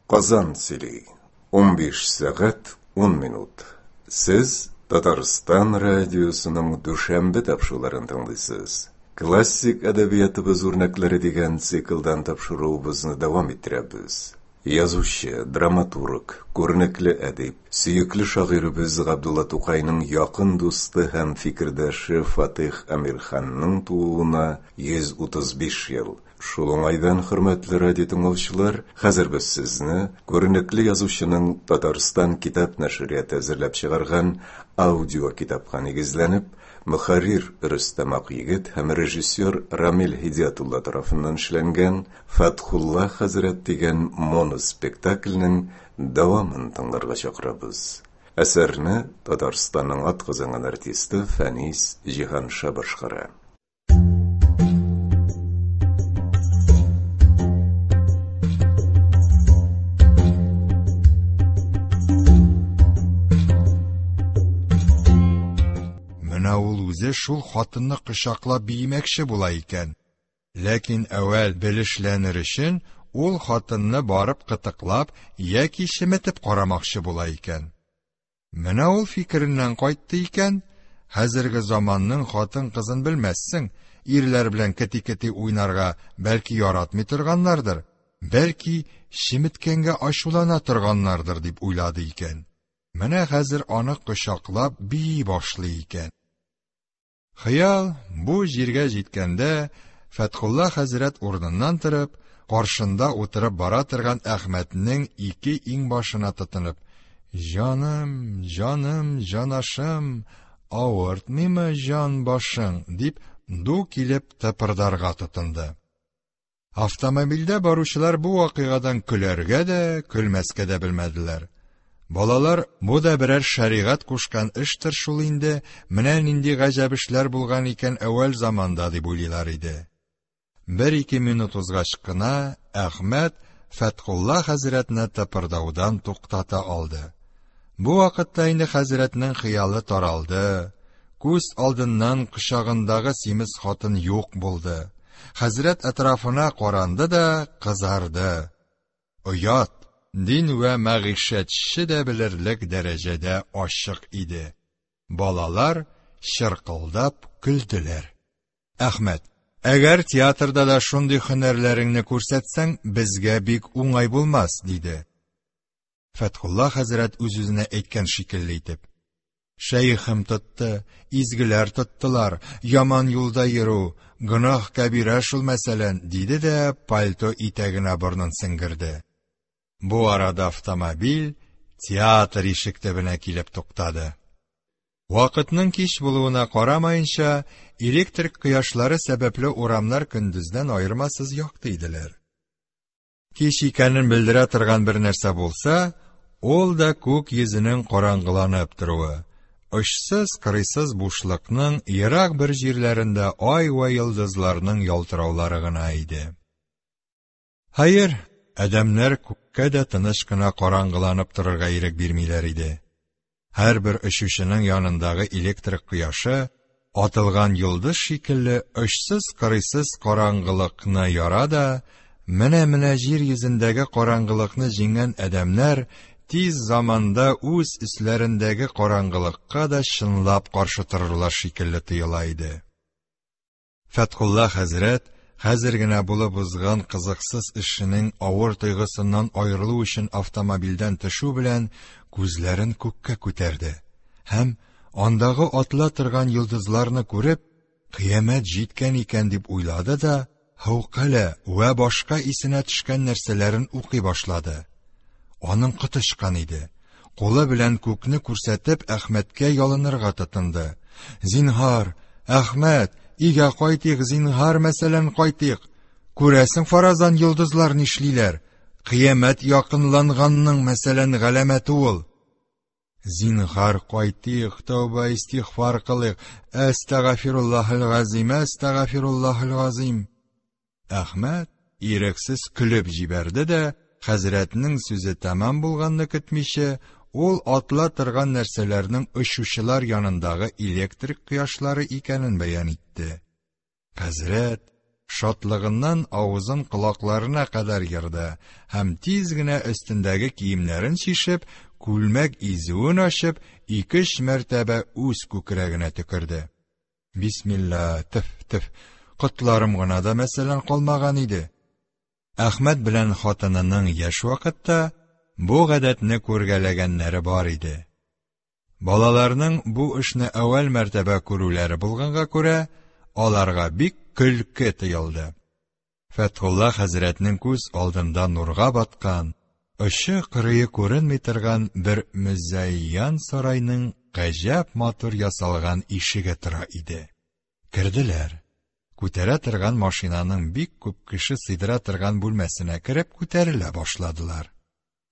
Казан сөйли. 15 сәгать 10 минут. Сез Татарстан радиосының дүшәмбе тапшыруларын тыңлыйсыз. Классик әдәбиятыбыз үрнәкләре дигән циклдан тапшыруыбызны дәвам иттерәбез. Язучы, драматург, күренекле әдип, сөекле шагыйребез Габдулла Тукайның якын дусты һәм фикердәше Фатих Әмирханның тууына 135 ел. Шул уңайдан, хөрмәтле радио тыңлаучылар, хәзер без сезне күренекле язучының Татарстан китап нәшрияты әзерләп чыгарган аудио китапка нигезләнеп, мөхәррир Рөстәм Акъегет һәм режиссер Рамил Һидиятулла тарафыннан эшләнгән Фәтхулла хәзрәт дигән моноспектакльнең дәвамын тыңларга чакырабыз. Әсәрне Татарстанның атказанган артисты Фәнис Җиһанша башкара. Менә ул үзе шул хатынны кочаклап биемәкче була икән. Ләкин әүвәл белешләнер өчен ул хатынны барып кытыклап яки чеметеп карамакчы була икән. Менә ул фикереннән кайтты икән, хәзерге заманның хатын-кызын белмәссең, ирләр белән кети-кети уйнарга бәлки яратмый торганнардыр, бәлки чеметкәнгә ачулана торганнардыр дип уйлады икән. Менә хәзер аны кочаклап бии башлый икән. Хыял бу җиргә җиткәндә, Фәтхулла хәзрәт урыныннан торып, каршында утырып бара торган Әхмәтнең ике иңбашына тотынып, «Җаным, җаным, җанашым, авыртмыймы җан башың?» дип ду килеп тыпырдарга тотынды. Автомобильдә баручылар бу вакыйгадан көләргә дә, көлмәскә дә белмәделәр. Балалар, бу да берәр шәригать кушкан эштер шул инде, менә нинди гаҗәп эшләр булган икән әүвәл заманда, дип уйлыйлар иде. Бер-ике минут узгач кына Әхмәт Фәтхулла хәзрәтне тыпырдаудан туктата алды. Бу вакытта инде хәзрәтнең хыялы таралды, күз алдыннан кочагындагы симез хатын юк булды. Хәзрәт әтрафына каранды да кызарды. Оят, дин вә мәгыйшәтче дә белерлек дәрәҗәдә ачык иде. Балалар чыркылдап көлделәр. Әхмәт, әгәр театрда да шундый һөнәрләреңне күрсәтсәң, безгә бик уңай булмас, диде. Фәтхулла хәзрәт үз-үзенә әйткән шикелле итеп. Шәехем тотты, изгеләр тоттылар, яман юлда йөрү, гөнаһ кәбирә шул мәсәлән, диде дә пальто итәгенә борынын сеңгерде. Бу арада автомобиль театр ишек төбенә килеп туктады. Вакытның кич булуына карамаенча, электрик кояшлары сәбәпле урамнар көндездән аермасыз якты иделәр. Кич икәнен белдерә торган бер нәрсә булса, ул да күк йөзенең караңгыланып торуы, очсыз-кырыйсыз бушлыкның ерак бер җирләрендә ай вә йолдызларның ялтыраулары гына иде. Хәер, адәмнәр күккә дә тыныч кына караңгыланып торырга ирек бирмиләр иде. Һәрбер очучының янындагы электрик кояшы атылган йолдыз шикелле очсыз-кырыйсыз караңгылыкны яра да, менә-менә җир йөзендәге караңгылыкны җиңгән адәмнәр тиз заманда үз өсләрендәге караңгылыкка да чынлап каршы торырлар шикелле тоела иде. Фәтхулла хәзрәт хәзер генә булып узган кызыксыз эшенең авыр тойгысыннан аерылу өчен автомобильдән төшү белән күзләрен күккә күтәрде һәм, андагы атыла торган йолдызларны күреп, кыямәт җиткән икән дип уйлады да, һәүкалә вә башка исенә төшкән нәрсәләрен укый башлады. Аның коты очкан иде. Кулы белән күкне күрсәтеп, Әхмәткә ялынырга тотынды. Зинһар, Әхмәт, өйгә кайтыйк, зинһар, мәсәлән, кайтыйк. Күрәсең, фаразан йолдызлар нишлиләр? Кыямәт якынланганның, мәсәлән, галәмәте ул. Зинһар, кайтыйк, тәүбә истигъфар кылыйк. Әстәгафируллаһил газим, әстәгафируллаһил газим. Әхмәт ирексез көлеп җибәрде дә, хәзрәтнең сүзе тәмам булганны көтмичә, ул атла торган нәрсәләрнең очучылар янындагы электрик кояшлары икәнен бәян итте. Хәзрәт Шатлыгыннан авызын колакларына кадәр ерды һәм тиз генә өстендәге киемнәрен чишеп, күлмәк изүен ачып, ике-өч мәртәбә үз күкрәгенә төкерде. Бисмилла, тф, тф, котларым гына да, мәсәлән, калмаган иде. Әхмәт белән хатынының яшь вакытта бу гадәтне күргәләгәннәре бар иде. Балаларның бу эшне әүвәл мәртәбә күрүләре булганга күрә, аларга бик көлке тоелды. Фәтхулла хәзрәтнең күз алдында нурга баткан, очы-кырые күренми торган бер мөзәйян сарайның гаҗәп матур ясалган ишеге тора иде. Керделәр. Күтәрә торган машинаның бик күп кеше сыйдыра торган бүлмәсенә кереп күтәрелә башладылар.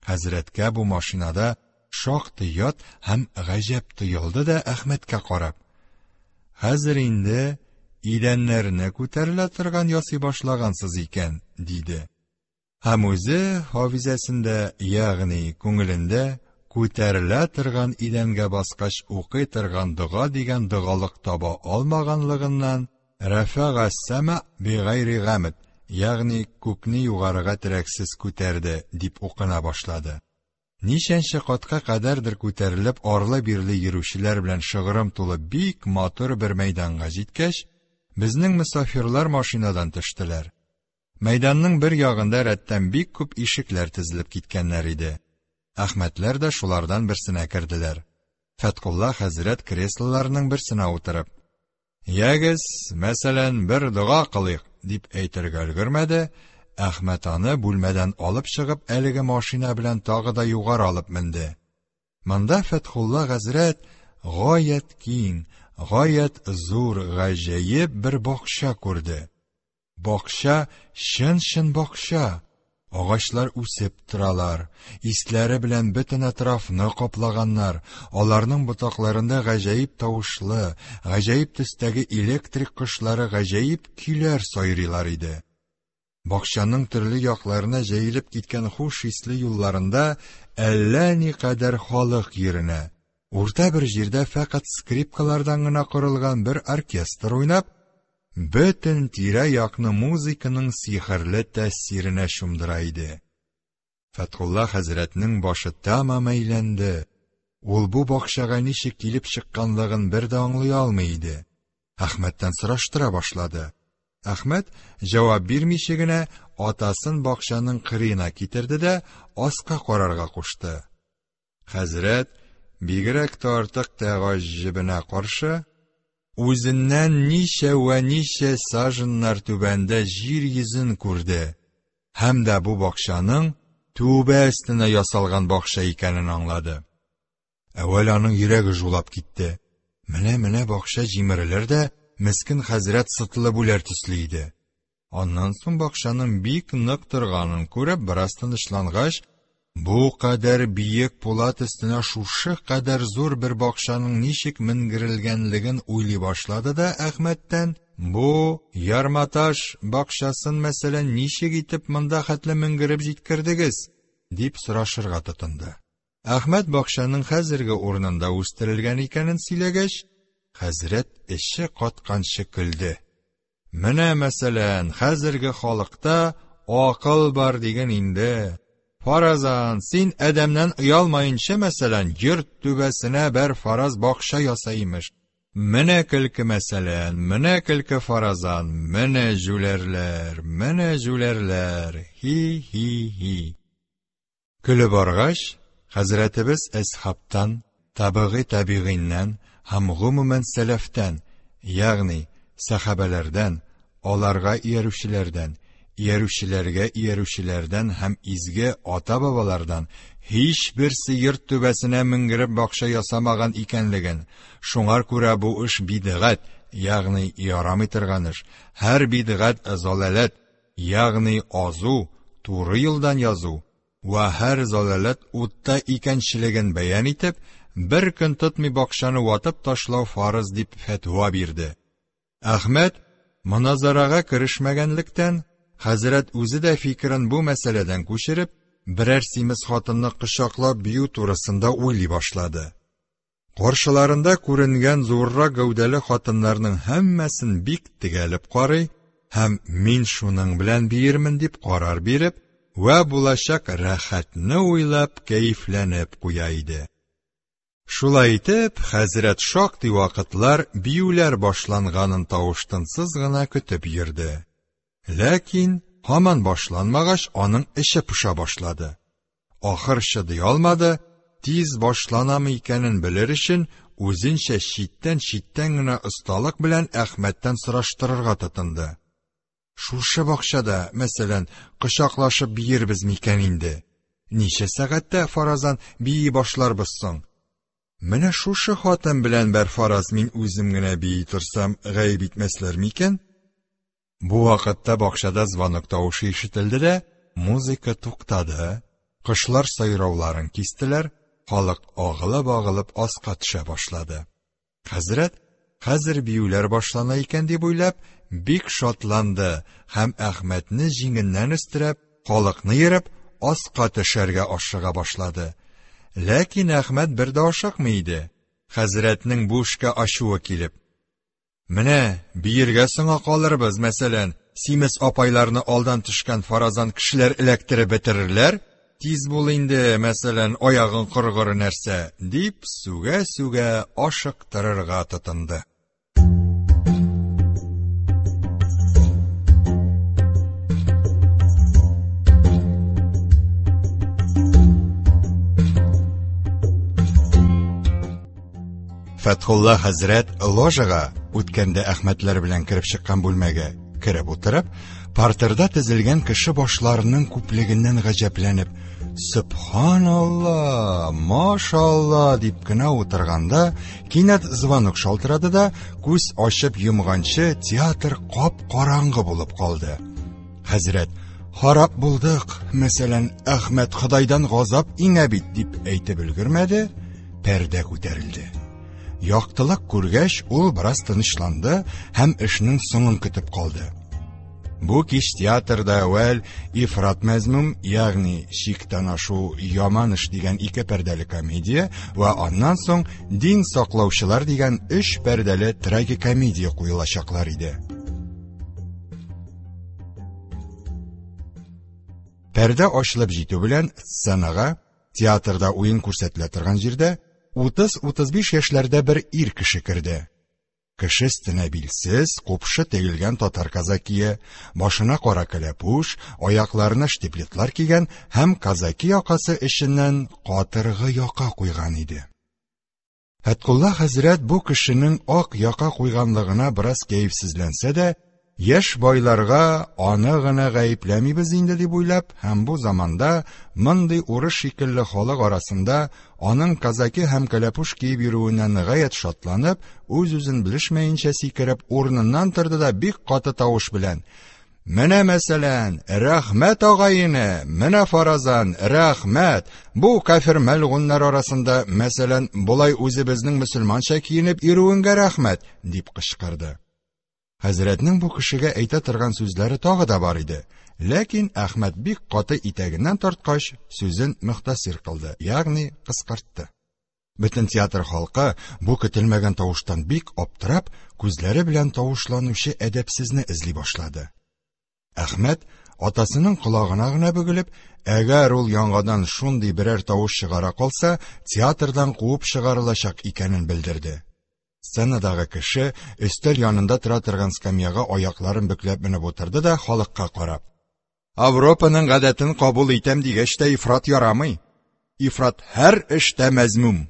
Хәзрәткә бу машинада шактый ят һәм гаҗәп тоелды да Әхмәткә карап: "Хәзер инде идәннәрне күтәрелә торган ясый башлагансыз икән", диде. Һәм үзе хафизәсендә, ягъни күңелендә күтәрелә торган идәнгә баскач укый торган дога дигән догалык таба алмаганлыгыннан Рәфәга сәма бигайри гамд, ягъни күкне югарыга терәксез күтәрде, дип укына башлады. Ничәнче катка кадәрдер күтәрелеп арлы-бирле йөрүчеләр белән шыгрым тулы бик матур бер мәйданга җиткәч, безнең мөсафирлар машинадан төштеләр. Мәйданның бер ягында рәттән бик күп ишекләр тезелеп киткәннәр иде. Әхмәтләр дә шулардан берсенә керделәр. Фәткулла хәзрәт креслоларның берсенә утырып, Ягез, мәсәлән, бер дога кылыйк, дип әйтергә өлгермәде, Әхмәт аны бүлмәдән алып чыгып, әлеге машина белән тагы да югары алып менде. Монда Фәтхулла хәзрәт гаять киң, гаять зур, гаҗәеп бер бакча күрде. Бакча, чын-чын бакча. Агачлар үсеп торалар, исләре белән бөтен әтрафны каплаганнар, аларның ботакларында гаҗәеп тавышлы, гаҗәеп төстәге электрик кошлары гаҗәеп көйләр сайрыйлар иде. Бакчаның төрле якларына җәелеп киткән хуш исле юлларында әллә никадәр халык йөренә. Урта бер җирдә фәкать скрипкалардан гына корылган бер оркестр уйнап, бөтен тирә-якны музыканың сихерле тәэсиренә чумдыра иде. Фәтхулла хәзрәтнең башы тәмам әйләнде. Ул бу бакчага ничек килеп чыкканлыгын бер дә аңлый алмый иде. Әхмәттән сораштыра башлады. Әхмәт, җавап бирмичә генә, атасын бакчаның кырыена китерде дә аска карарга кушты. Хәзрәт, бигрәк тә артык тәгаҗҗебенә каршы, үзеннән ничә вә ничә саженнар түбәндә җир йөзен күрде һәм дә бу бакчаның түбә өстенә ясалган бакча икәнен аңлады. Әүвәл аның йөрәге жулап китте. Менә-менә бакча җимерелер дә, мескен хәзрәт сытылып үләр төсле иде. Аннан соң бакчаның бик нык торганын күреп, бераз тынычлангач, бу кадәр биек пулат өстенә шушы кадәр зур бер бакчаның ничек менгерелгәнлеген уйлый башлады да Әхмәттән, бу ярматаш бакчасын, мәсәлән, ничек итеп монда хәтле менгереп җиткердегез, дип сорашырга тотынды. Әхмәт бакчаның хәзерге урынында үстерелгән икәнен сөйләгәч, хәзрәт эче катканчы көлде. Менә, мәсәлән, хәзерге халыкта акыл бар диген инде. Фаразан, син адәмнән оялмаенча, мәсәлән, йорт түбәсенә бер фараз бакча яса имеш. Менә көлке, мәсәлән, менә көлке фаразан, менә җүләрләр, менә җүләрләр, хи-хи-хи. Көлеп аргач, хәзрәтебез әсхабтан, табигый табигыйннән һәм гомумән сәләфтән, ягъни сәхабәләрдән, аларга иярүчеләрдән, иярүчеләргә иярүчеләрдән һәм изге ата-бабалардан һичберсе йорт түбәсенә менгереп бакча ясамаган икәнлеген, шуңар күрә бу эш бидгать, ягъни ярамый торган эш, һәр бидгать залаләт, ягъни азу, туры юлдан язу, вә һәр залаләт утта икәнчелеген бәян итеп, бер көн тотмый бакчаны ватып ташлау фарыз дип фәтва бирде. Әхмәт моназарага керешмәгәнлектән, хәзрәт үзе дә фикерен бу мәсьәләдән күчереп, берәр симез хатынны кочаклап бию турысында уйлый башлады. Каршыларында күренгән зуррак гәүдәле хатыннарның һәммәсен бик тегәлеп карый һәм мин шуның белән биермен дип карар биреп, вә булачак рәхәтне уйлап кәефләнеп куя иде. Шулай итеп, хәзрәт шактый вакытлар биюләр башланганын тавыш-тынсыз гына көтеп йөрде. Ләкин һаман башланмагач, аның эче поша башлады. Ахыр чыдый алмады, тиз башланамы икәнен белер өчен, үзенчә читтән-читтән генә осталык белән Әхмәттән сораштырырга тотынды. Шушы бакчада, мәсәлән, кочаклашып биербез микән инде? Ничә сәгатьтә, фаразан, бии башларбыз соң? Менә шушы хатын белән бер фараз мин үзем генә бии торсам, гаеп итмәсләр микән? Бу вакытта бакчада звонок тавышы ишетелде дә, музыка туктады, кошлар сайрауларын кистеләр, халык агылып-агылып аска төшә башлады. Хәзрәт, хәзер биюләр башлана икән дип уйлап, бик шатланды һәм Әхмәтне җиңеннән өстерәп, халыкны ерып, аска төшәргә ашыга башлады. Ләкин Әхмәт бер дә ашыкмый иде. Хәзрәтнең бу эшкә ачуы килеп, Менә, биергә соңа калырбыз, мәсәлән, симез апайларны алдан төшкән фаразан кешеләр эләктереп бетерерләр, тиз бул инде, мәсәлән, аягың коргыры нәрсә, дип сүгә-сүгә ашыктырырга тотынды. Фәтхулла хәзрәт ложага, үткәндә Әхмәтләр белән кереп чыккан бүлмәгә кереп утырып, партерда тезелгән кеше башларының күплегеннән гаҗәпләнеп, «Сөбханалла, машалла» дип кенә утырганда, кинәт звонок шалтырады да, күз ачып йомганчы театр кап-караңгы булып калды. Хәзрәт, «Харап булдык, мәсәлән, Әхмәт Ходайдан газап иңә бит» дип әйтеп өлгермәде, пәрдә күтәрелде. Яктылык күргәч, ул бераз тынычланды һәм эшнең соңын көтеп калды. Бу кич театрда әүвәл Ифрат мәзмүм, ягъни чиктән ашу яман эш дигән ике пәрдәле комедия вә аннан соң Дин саклаучылар дигән өч пәрдәле трагикомедия куелачаклар иде. Пәрдә ачылып җитү белән сценага, театрда уен күрсәтелә торган җирдә, 30-35 яшьләрдә бер ир кеше керде. Кеше өстенә билсез, купшы тегелгән татар казакие, башына кара кәләпүш, аякларына штиблетлар кигән һәм казаки якасы эченнән катыргы яка куйган иде. Фәткулла хәзрәт бу кешенең ак яка куйганлыгына бераз кәефсезләнсә дә, яшь байларга аны гына гаепләмибез инде дип уйлап һәм бу заманда мондый урыс шикелле халык арасында аның казаки һәм кәләпүш киеп йөрүеннән гаять шатланып, үз-үзен белешмәенчә сикереп урыныннан торды да бик каты тавыш белән: Менә мәсәлән, рәхмәт агай-эне, менә фаразан, рәхмәт. Бу кафир мәлгуннар арасында, мәсәлән, болай үзебезнең мөселманча киенеп йөрүеңгә рәхмәт, дип кычкырды. Хәзрәтнең бу кешегә әйтә торган сүзләре тагы да бар иде. Ләкин Әхмәт бик каты итәгеннән тарткач, сүзен мөхтәсир кылды, ягъни кыскартты. Бөтен театр халкы бу көтелмәгән тавыштан бик аптырап, күзләре белән тавышланучы әдәпсезне эзли башлады. Әхмәт атасының колагына гына бөгелеп, әгәр ул яңадан шундый берәр тавыш чыгара калса, театрдан куып чыгарылачак икәнен белдерде. Сценадагы кеше өстәл янында тора торган скамьяга аякларын бөкләп менеп утырды да халыкка карап: Авропаның гадәтен кабул итәм дигәч тә ифрат ярамый. Ифрат һәр эштә мәзмүм.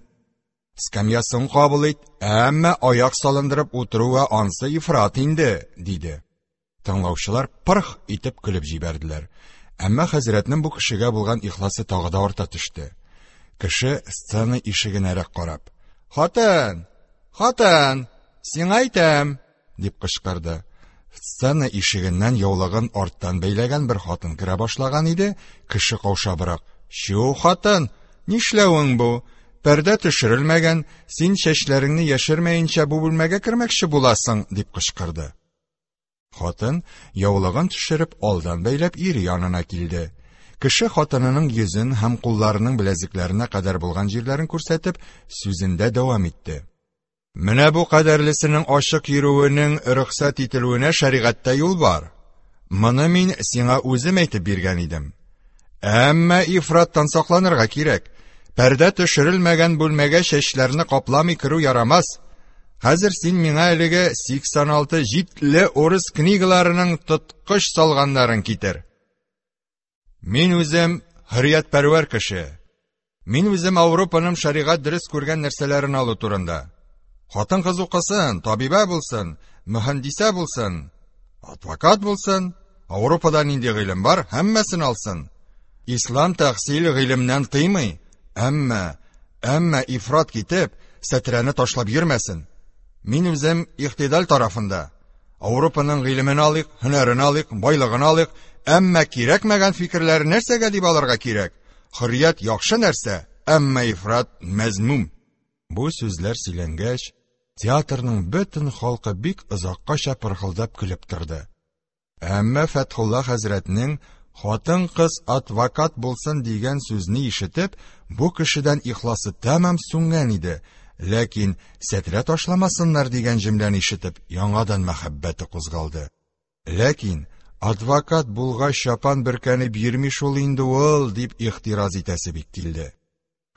Скамьясын кабул ит, әмма аяк салындырып утыру вә ансы ифрат инде, диде. Тыңлаучылар пырх итеп көлеп җибәрделәр. Әмма хәзрәтнең бу кешегә булган ихласы тагы да арта төште. Кеше сцена ишегенәрәк карап: "Хатын! Хатын! Сиңа әйтәм!" дип кычкырды. Сцена ишегеннән яулыгын арттан бәйләгән бер хатын керә башлаган иде, кеше каушабрак: "Чү, хатын, нишләвең бу? Пәрдә төшерелмәгән, син чәчләреңне яшермәенчә бу бүлмәгә кермәкче буласың!" дип кычкырды. Хатын, яулыгын төшереп, алдан бәйләп ире янына килде. Кеше хатынының йөзен һәм кулларының беләзекләренә кадәр булган җирләрен күрсәтеп, сүзендә дәвам итте. Менә бу кадәрлесенең ачык йөрүенең рөхсәт ителүенә шәригатьтә юл бар. Моны мин сиңа үзем әйтеп биргән идем. Әмма ифраттан сакланырга кирәк. Пәрдә төшерелмәгән бүлмәгә чәчләрне капламый керү ярамас. Хәзер син миңа әлеге 86 җитле урыс книгаларының тоткыч салганнарын китер. Мин үзем хөрриятпәрвәр кеше. Мин үзем Ауропаның шәригать дөрес күргән нәрсәләрен алу турында. Хатын-кыз укысын, табибә булсын, мөһәндисә булсын, адвокат булсын, Ауропада нинди гыйлем бар, һәммәсен алсын. Ислам тәхсил гыйлемнән тыймый, әмма, әмма ифрат китеп, сәтрәне ташлап йөрмәсен. Мин үзем ихтидал тарафында. Ауропаның гыйлемен алыйк, һөнәрен алыйк, байлыгын алыйк, әмма кирәкмәгән фикерләрен нәрсәгә дип алырга кирәк? Хөррият яхшы нәрсә, әмма ифрат мәзмүм. Бу сүзләр сөйләнгәч, театрның бөтен халкы бик озаккача пырхылдап көлеп торды. Әмма Фәтхулла хәзрәтнең хатын-кыз адвокат булсын дигән сүзне ишетеп, бу кешедән ихласы тәмам сүнгән иде, ләкин сәтрә ташламасыннар дигән җөмләне ишетеп, яңадан мәхәббәте кузгалды. Ләкин адвокат булгач чапан бөркәнеп йөрми шул инде ул, дип ихтираз итәсе бик килде.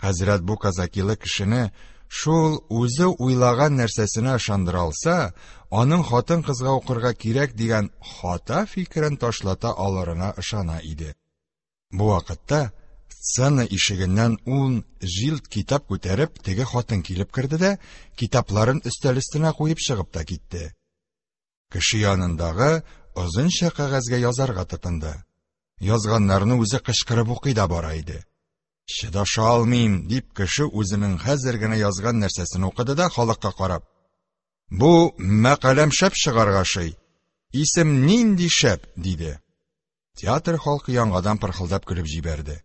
Хәзрәт бу казакилы кешене шул үзе уйлаган нәрсәсенә ышандыра алса, аның хатын-кызга укырга кирәк дигән хата фикерен ташлата алырына ышана иде. Бу вакытта сцена ишегеннән ун җилд китап күтәреп теге хатын килеп керде дә, китапларын өстәл өстенә куеп чыгып та китте. Кеше янындагы озынча кәгазьгә язарга тотынды. Язганнарны үзе кычкырып укый да бара иде. Чыдаша алмыйм, дип кеше үзенең хәзер генә язган нәрсәсен укыды да халыкка карап. Бу мәкаләм шәп чыгарга ошый. Исем нинди шәп, диде. Театр халкы яңадан пырхылдап көлеп җибәрде.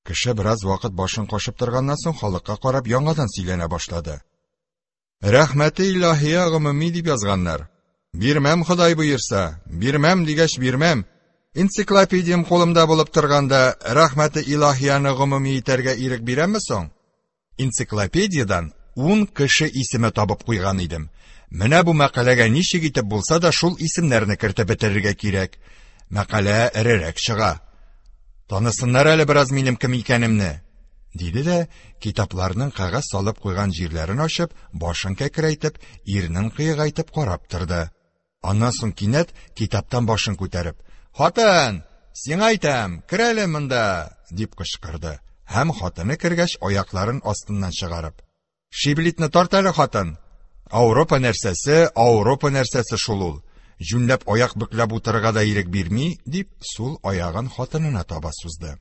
Кеше бераз вакыт башын кашып торганнан соң халыкка карап яңадан сөйләнә башлады. Рәхмәте илаһия гомуми дип язганнар. Бирмәм, Ходай боерса, бирмәм дигәч бирмәм. Энциклопедиям кулымда булып торганда, рәхмәте илаһияне гомуми итәргә ирек бирәмме соң? Энциклопедиядән ун кеше исеме табып куйган идем. Менә бу мәкаләгә ничек итеп булса да шул исемнәрне кертеп бетерергә кирәк. Мәкалә эрерәк чыга. Танысыннар әле бераз минем кем икәнемне, диде дә, китапларның кәгазь салып куйган җирләрен ачып, башын кәкрәйтеп, ирнен кыегайтып карап торды. Аннан соң кинәт китаптан башын күтәреп, "Хатын, сиңа әйтәм, кер әле монда!" дип кычкырды. Һәм хатыны кергәч, аякларын астыннан чыгарып, "Шиблитне тарт әле, хатын! Ауропа нәрсәсе, Ауропа нәрсәсе шул ул. Җүнләп аяк бөкләп утырырга да ирек бирми", дип, сул аягын хатынына таба сузды.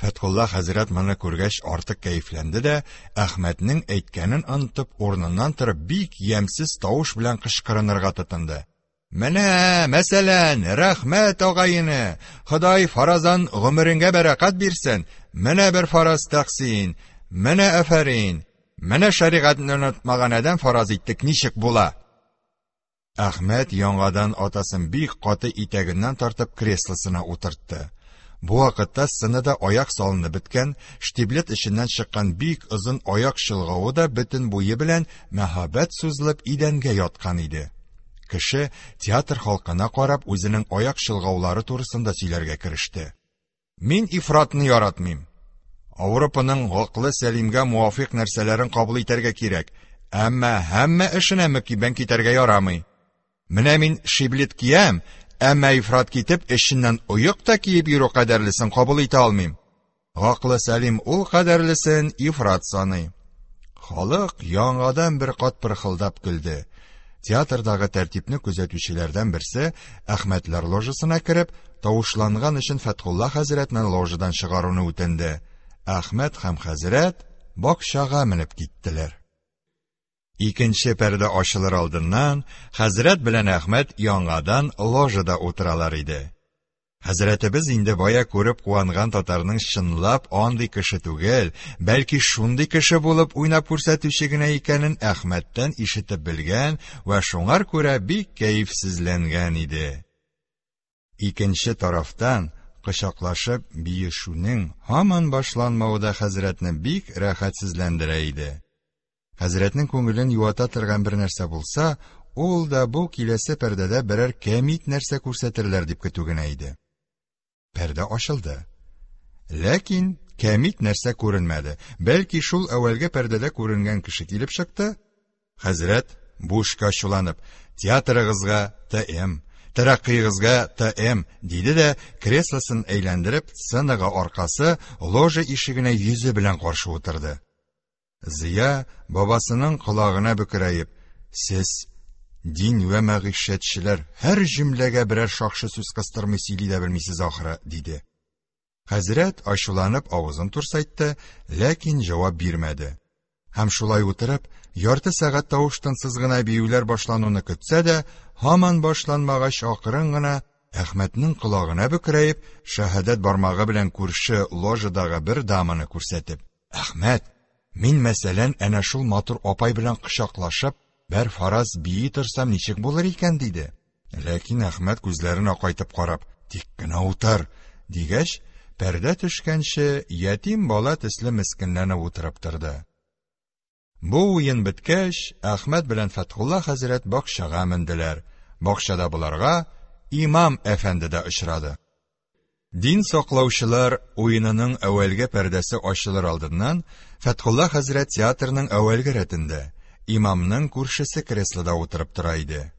Фәтхулла хәзрәт моны күргәч артык кәефләнде дә, Әхмәтнең әйткәнен онытып, урыныннан торып бик ямьсез тавыш белән кычкырынырга тотынды. Менә, мәсәлән, рәхмәт агайны, Ходай фаразан гомереңгә бәрәкәт бирсен, менә бер фараз тәкъсин, менә афәрин, менә шәригатьне онытмаган адәм фараз иттек ничек була? Әхмәт яңадан атасын бик каты итәгеннән тартып креслосына утыртты. Бу вакытта сценада аяк салынып беткән, штиблет эченнән чыккан бик озын аяк чолгавы да бөтен буе белән мәһабәт сузылып идәнгә яткан иде. Кеше театр халкына карап үзенең аяк чолгаулары турысында сөйләргә кереште. Мин ифратны яратмыйм. Ауропаның гаклы сәлимгә муафыйк нәрсәләрен кабул итәргә кирәк, әмма һәммә эшенә мөкиббән китәргә ярамый. Менә мин шиблет киям, әмма ифрат китеп, эченнән оек та киеп йөрү кадәрлесен кабул итә алмыйм. Гаклы сәлим ул кадәрлесен ифрат саный. Халык яңадан бер кат пырхылдап көлде. Театрдагы тәртипне күзәтүчеләрдән берсе Әхмәтләр ложасына кереп, тавышланган өчен Фәтхулла хәзрәтне ложадан чыгаруны үтенде. Әхмәт һәм хәзрәт бакчага менеп киттеләр. Икенче пәрдә ачылыр алдыннан хәзрәт белән Әхмәт яңадан ложада утыралар иде. Хәзрәтебез инде бая күреп куанган татарның чынлап андый кеше түгел, бәлки шундый кеше булып уйнап күрсәтүче генә икәнен Әхмәттән ишетеп белгән вә шуңар күрә бик кәефсезләнгән иде. Икенче тарафтан, кочаклашып биешүнең һаман башланмавы да хәзрәтне бик рәхәтсезләндерә иде. Хәзрәтнең күңелен юата торган бер нәрсә булса, Ул да бу киләсе пәрдәдә берәр кәмит нәрсә күрсәтерләр дип көтү генә иде. Пәрдә ачылды. Ләкин кәмит нәрсә күренмәде. Бәлки шул әүвәлге пәрдәдә күренгән кеше килеп чыкты. Хәзрәт, бу эшкә ачуланып, театрыгызга ТМ, тәрәккыегызга ТМ, диде дә, креслосын әйләндереп, сценага аркасы, ложа ишегенә йөзе белән каршы утырды. Зыя, бабасының колагына бөкрәеп, Сез, дин вә мәгыйшәтчеләр, һәр җөмләгә берәр шакшы сүз кыстырмый сөйли дә белмисез ахры, диде. Хәзрәт ачуланып авызын турсайтты, ләкин җавап бирмәде. Һәм шулай утырып, ярты сәгать тавыш-тынсыз гына биюләр башлануны көтсә дә, һаман башланмагач, акрын гына Әхмәтнең колагына бөкрәеп, шәһадәт бармагы белән күрше ложадагы бер даманы күрсәтеп, Әхмәт, мин, мәсәлән, әнә шул матур апай белән кочаклашып, бер фараз бии торсам ничек булыр икән, диде. Ләкин Әхмәт күзләрен акайтып карап, тик кенә утыр, дигәч, пәрдә төшкәнче ятим бала төсле мескенләнеп утырып торды. Бу уен беткәч, Әхмәт белән Фәтхулла хәзрәт бакчага менделәр. Бакчада боларга имам әфәнде дә очрады. Дин саклаучылар уенының әүвәлге пәрдәсе ачылыр алдыннан Фәтхулла хәзрәт театрның әүвәлге рәтендә, имамның күршесе креслода утырып тора иде.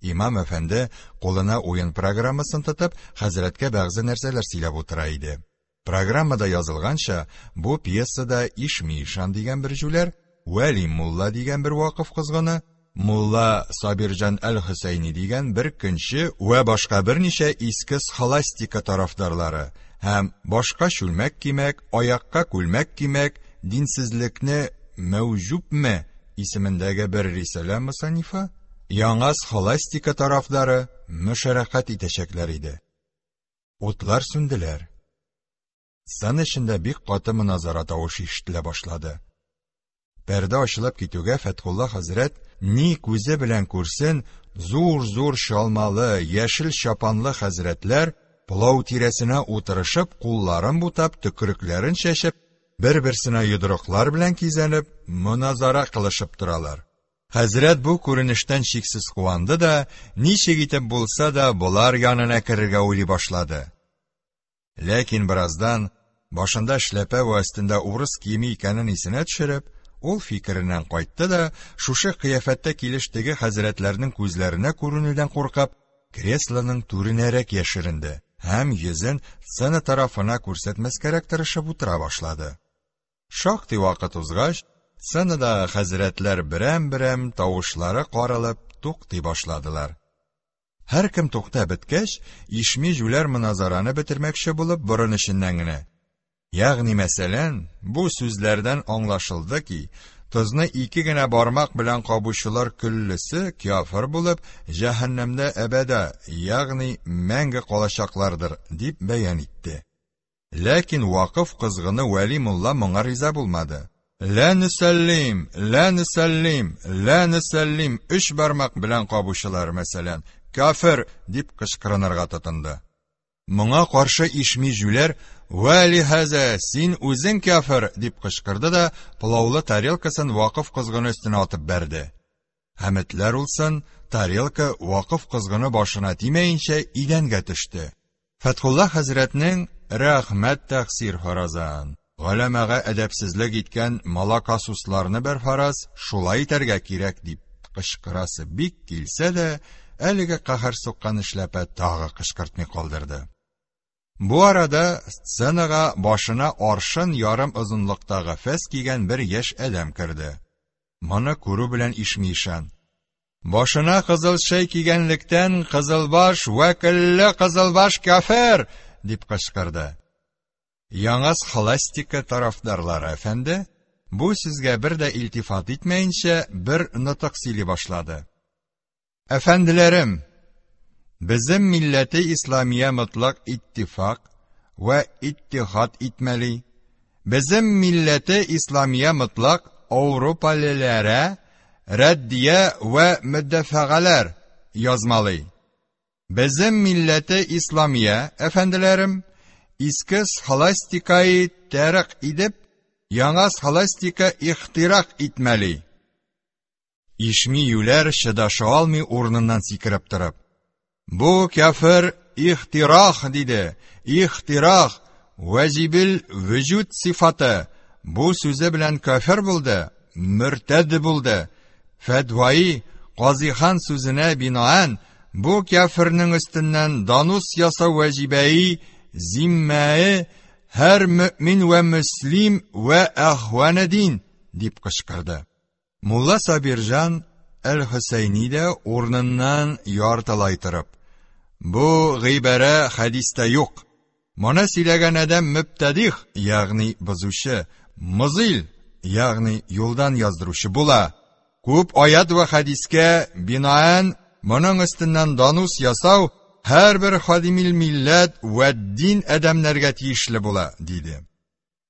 Имам әфәнде, кулына уен программасын тотып, хәзрәткә бәгъзе нәрсәләр сөйләп утыра иде. Программада язылганча, бу пьесада Ишми ишан дигән бер җүләр, Вәли мулла дигән бер вакыф козгыны, мулла Сабирҗан әл-Хөсәйни дигән бер көнче вә башка берничә иске схоластика тарафдарлары һәм башка чүлмәк кимәк, аякка күлмәк кимәк, динсезлекне мәүҗүбме исемендәге бер рисалә мосанифы, яңа схоластика тарафдары мөшәрәкать итәчәкләр иде. Утлар сүнделәр. Сцена эчендә бик каты моназара тавышы ишетелә башлады. Пәрдә ачылып китүгә Фәтхулла хәзрәт ни күзе белән күрсен, зур-зур чалмалы, яшел чапанлы хәзрәтләр пылау тирәсенә утырышып, кулларын бутап, төкрекләрен чәчеп, бер-берсенә йодрыклар белән кизәнеп, моназара кылышып торалар. Хәзрәт бу күренештән чиксез куанды да, ничек итеп булса да, болар янына керергә уйлый башлады. Ләкин бераздан, башында эшләпә вә өстендә урыс киеме икәнен исенә төшереп, ул фикереннән кайтты да, шушы кыяфәттә килеш теге хәзрәтләрнең күзләренә күренүдән куркып, креслоның түренәрәк яшеренде һәм йөзен сцена тарафына күрсәтмәскәрәк тырышып утыра башлады. Шактый вакыт узгач, сценадагы хәзрәтләр берәм-берәм тавышлары каралып туктый башладылар. Һәркем туктап беткәч, Ишми җүләр моназараны бетермәкче булып, борын эченнән генә: Ягъни мәсәлән, бу сүзләрдән аңлашылды ки, тозны ике генә бармак белән кабучылар көллесе кяфер булып, җәһәннәмдә әбәда, ягъни мәңге калачаклардыр, дип бәян итте. Ләкин вакыф кызгыны Вәли мулла моңа риза булмады. Лә нөсәллим, лә нөсәллим, лә нөсәллим, өч бармак белән кабучылар, мәсәлән, кафир, дип кычкырынырга тотынды. Моңа каршы Ишми җүләр, Вәли хәзә, син үзең кафир, дип кычкырды да, пылаулы тарелкасын вакыф козгыны өстенә атып бәрде. Һәм этләр улсын, тарелка вакыф козгыны башына тимәенчә идәнгә төште. Фәтхулла хәзрәтнең рәхмәт тәкъсир фаразан, голәмага әдәпсезлек иткән малакасусларны бер фараз шулай итәргә кирәк дип кычкырасы бик килсә дә, әлеге каһәр суккан эшләпә тагы кычкыртмый калдырды. Бу арада сценага башына аршын ярым озынлыктагы фәс кигән бер яшь адәм керде. Моны күрү белән Ишми ишан: Башына кызыл шәй кигәнлектән кызылбаш вәкилле кызылбаш кафир! дип кычкырды. Яңа схоластика тарафдарлары әфәнде, бу сүзгә бер дә илтифат итмәенчә, бер нотык сөйли башлады. Әфәнделәрем, безем милләте исламия мотлак иттифак вә иттихад итмәли. Безем милләте исламия мотлак ауропалеләрә рәддия вә мөдәфәгаләр язмалый. Безем милләте исламия, әфәнделәрем, иске схоластикаи тәрык идеп, яңа схоластика ихтирак итмәли. Ишми юләр чыдаша алмый урыныннан сикереп торып: "Бу кяфер ихтирах", диде. "Ихтирах ваҗибил вөҗүд сыйфаты. Бу сүзе белән кяфер булды, мөртәд булды. Фәтваи Казихан сүзенә бинаән бу кяфернең өстеннән данус ясау ваҗибәи зиммәе һәр мөэмин вә мөслим вә әхване дин", дип кычкырды. Мулла Сабирҗан әл-Хөсәйни дә урыныннан яртылай торып: "Бу гыйбарә хәдистә юк. Моны сөйләгән адәм мөбтәдих, ягъни бозучы, музил, ягъни юлдан яздыручы була. Күп аят вә хәдискә бинаән моның өстеннән данус ясау һәрбер хадимил милләт вә дин адәмнәргә тиешле була", диде.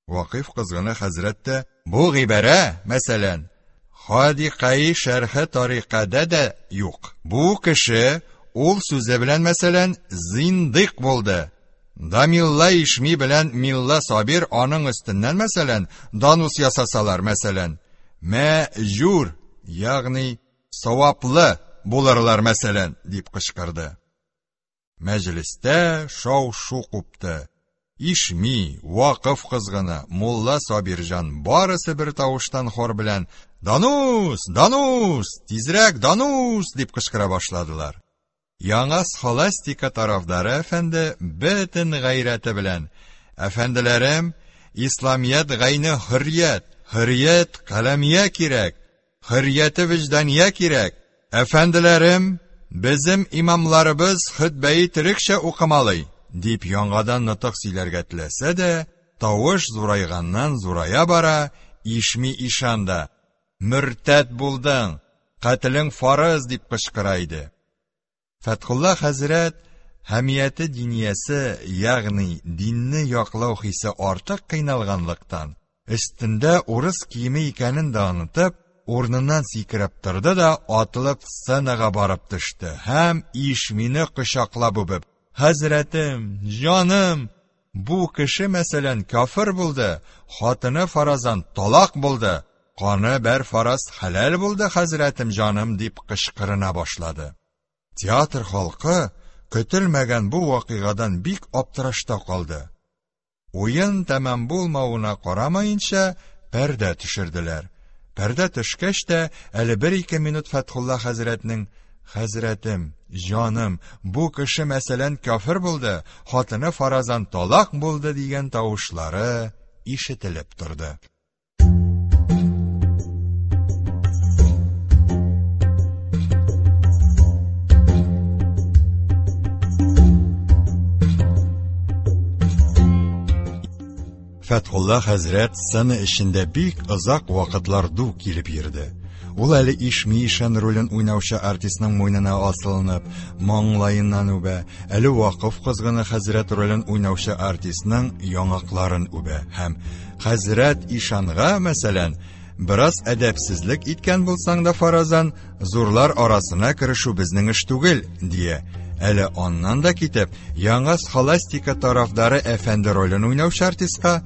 Вакыйф кызгыны хәзрәт тә: "Бу гыйбарә, мәсәлән, Хадикаи шәрхе тарикада да юк. Бу кеше ул сүзе белән, мәсәлән, зиндык булды. Дамилла Ишми белән Милла Сабир аның өстеннән, мәсәлән, данус ясасалар, мәсәлән, мәҗүр, ягъни саваплы булырлар, мәсәлән", дип кычкырды. Мәҗлестә шау-шу купты. Ишми, Вакыф кызгыны, мулла Сабирҗан барысы бер тавыштан хор белән: "Данус! Данус! Тизрәк данус!" дип кычкыра башладылар. Яңа схоластика тарафдары әфәнде бөтен гайрәте белән: "Әфәнделәрем, исламият гайне хөррият, хөррият каләмия кирәк, хөррияте вөҗдания кирәк. Әфәнделәрем, безем имамларыбыз хөтбәи төрекчә укымалый", дип яңадан нотык сөйләргә теләсә дә, тавыш зурайганнан зурая бара. Ишми ишан да: "Мөртәт булдың, кателең фарыз", дип кычкыра иде. Фәтхулла хәзрәт хәмияте диниясе, ягъни динне яклау хисе артык кыйналганлыктан, өстендә урыс киеме икәнен дә онытып, урыныннан сикереп торды да атылып сценага барып төште һәм Ишмине кочаклап үбеп: "Хәзрәтем, җаным, бу кеше, мәсәлән, кафир булды, хатыны фаразан талак булды, каны бер фараз хәләл булды, хәзрәтем җаным", дип кычкырына башлады. Театр халкы көтелмәгән бу вакыйгадан бик аптырашта калды. Уен тәмам булмавына карамаенча, пәрдә төшерделәр. Пәрдә төшкәч тә, әле бер-ике минут Фәтхулла хәзрәтнең: "Хәзрәтем, җаным, бу кеше, мәсәлән, кафир булды, хатыны фаразан талак булды", дигән тавышлары ишетелеп торды. Фәтхулла хәзрәт сцена эчендә бик озак вакытлар ду килеп йөрде. Ул әле Ишми ишан ролен уйнаучы артистның муенына асылынып, маңлаеннан үбә, әле Вакыф кызгыны хәзрәт ролен уйнаучы артистның яңакларын үбә һәм: "Хәзрәт ишанга, мәсәлән, бераз әдәпсезлек иткән булсаң да фаразан, зурлар арасына керешү безнең эш түгел", дия. Әле аннан да китеп, яңа схоластика тарафдары әфәнде ролен уйнаучы артистка: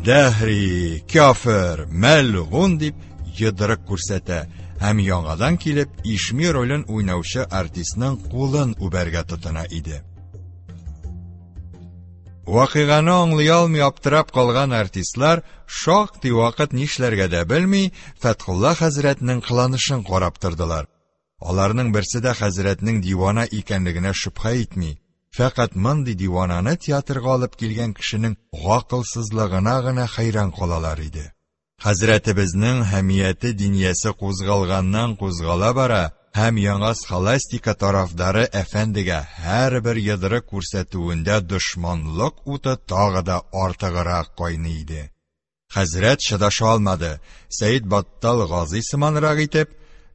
"Дәһри, кафир, мәлгун", дип йодрык күрсәтә һәм яңадан килеп Ишми ролен уйнаучы артистның кулын үбәргә тотына иде. Вакыйганы аңлый алмый аптырап калган артистлар шактый вакыт нишләргә дә белми Фәтхулла хәзрәтнең кыланышын карап тордылар. Аларның берсе дә хәзрәтнең дивана икәнлегенә шөбһә итми. Фәкать мондый дивананы театрга алып килгән кешенең гакылсызлыгына гына хәйран калалар иде. Хәзрәтебезнең хәмияте диниясе кузгалганнан кузгала бара һәм яңа схоластика тарафдары әфәндегә һәрбер йодрык күрсәтүендә дошманлык уты тагы да артыграк кайный иде. Хәзрәт чыдаша алмады. Сәид Баттал Гази сыманрак итеп: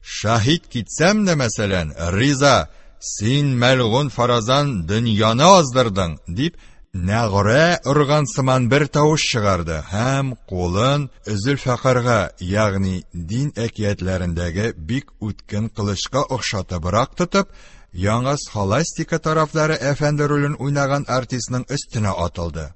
"Шаһит китсәм дә, мәсәлән, риза, син мәлгун фаразан дөньяны аздырдың", дип нәгърә орган сыман бер тавыш чыгарды һәм кулын Зөлфәкарга, ягъни дин әкиятләрендәге бик үткен кылычка охшатыбрак тотып, яңа схоластика тарафдары әфәнде ролен уйнаган артистның өстенә атылды.